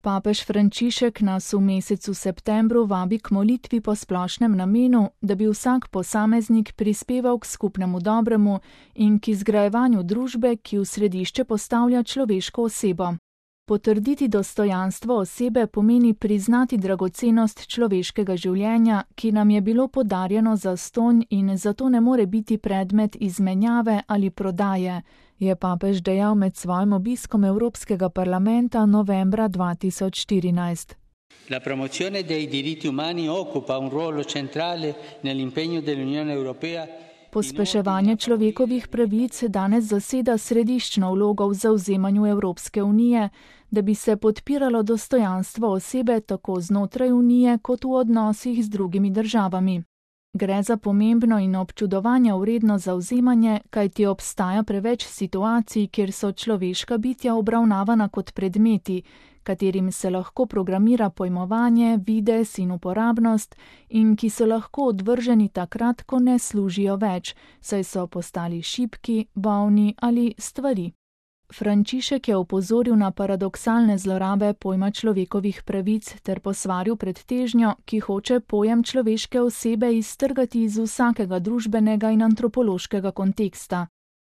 Papež Frančišek nas v mesecu septembru vabi k molitvi po splošnem namenu, da bi vsak posameznik prispeval k skupnemu dobremu in k izgrajevanju družbe, ki v središče postavlja človeško osebo. Potrditi dostojanstvo osebe pomeni priznati dragocenost človeškega življenja, ki nam je bilo podarjeno zastonj in zato ne more biti predmet izmenjave ali prodaje, je papež dejal med svojim obiskom Evropskega parlamenta novembra 2014. La promozione dei diritti umani occupa un ruolo centrale nell'impegno dell'Unione Europea. Pospeševanje človekovih pravic danes zaseda središčno vlogo v zavzemanju Evropske unije, da bi se podpiralo dostojanstvo osebe tako znotraj unije kot v odnosih z drugimi državami. Gre za pomembno in občudovanja vredno zavzemanje, kajti obstaja preveč situacij, kjer so človeška bitja obravnavana kot predmeti, katerim se lahko programira pojmovanje, videz in uporabnost in ki so lahko odvrženi takrat, ko ne služijo več, saj so postali šibki, bolni ali stvari. Frančišek je opozoril na paradoksalne zlorabe pojma človekovih pravic ter posvaril pred težnjo, ki hoče pojem človeške osebe iztrgati iz vsakega družbenega in antropološkega konteksta.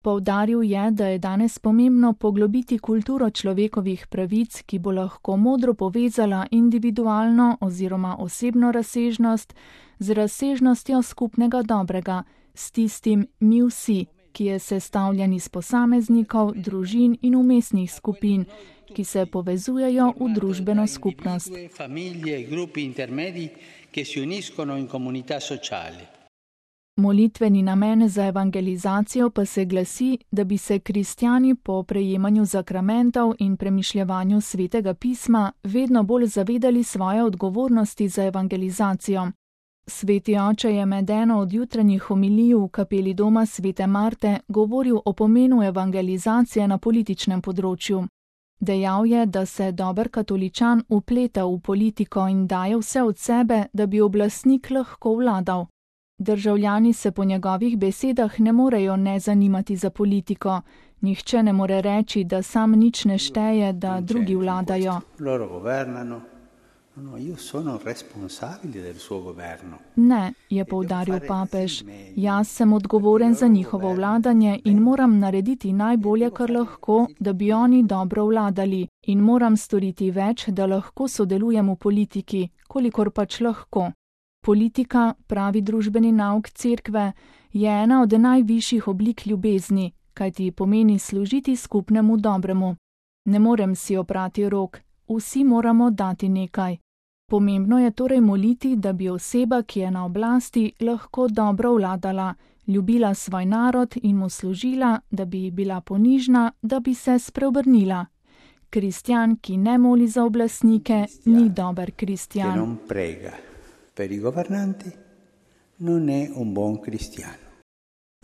Poudaril je, da je danes pomembno poglobiti kulturo človekovih pravic, ki bo lahko modro povezala individualno oziroma osebno razsežnost z razsežnostjo skupnega dobrega, s tistim mi vsi, ki je sestavljen iz posameznikov, družin in umestnih skupin, ki se povezujejo v družbeno skupnost. Molitveni namen za evangelizacijo pa se glasi, da bi se kristjani po prejemanju zakramentov in premišljevanju svetega pisma vedno bolj zavedali svoje odgovornosti za evangelizacijo. Sveti oče je med eno od jutranjih homilij v kapeli doma svete Marte govoril o pomenu evangelizacije na političnem področju. Dejal je, da se dober katoličan vpleta v politiko in daje vse od sebe, da bi oblastnik lahko vladal. Državljani se po njegovih besedah ne morejo ne zanimati za politiko. Nihče ne more reči, da sam nič ne šteje, da drugi vladajo. Ne, je poudaril papež, jaz sem odgovoren za njihovo vladanje in moram narediti najbolje, kar lahko, da bi oni dobro vladali, in moram storiti več, da lahko sodelujem v politiki, kolikor pač lahko. Politika, pravi družbeni nauk cerkve, je ena od najvišjih oblik ljubezni, kajti pomeni služiti skupnemu dobremu. Ne morem si oprati rok, vsi moramo dati nekaj. Pomembno je torej moliti, da bi oseba, ki je na oblasti, lahko dobro vladala, ljubila svoj narod in mu služila, da bi bila ponižna, da bi se spreobrnila. Kristjan, ki ne moli za oblastnike, ni dober kristjan. Per i governanti non è un buon cristiano.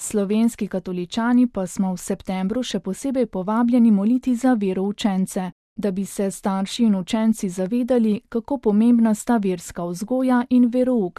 Slovenski katoličani pa smo v septembru še posebej povabljeni moliti za veroučence, da bi se starši in učenci zavedali, kako pomembna sta verska vzgoja in verouk,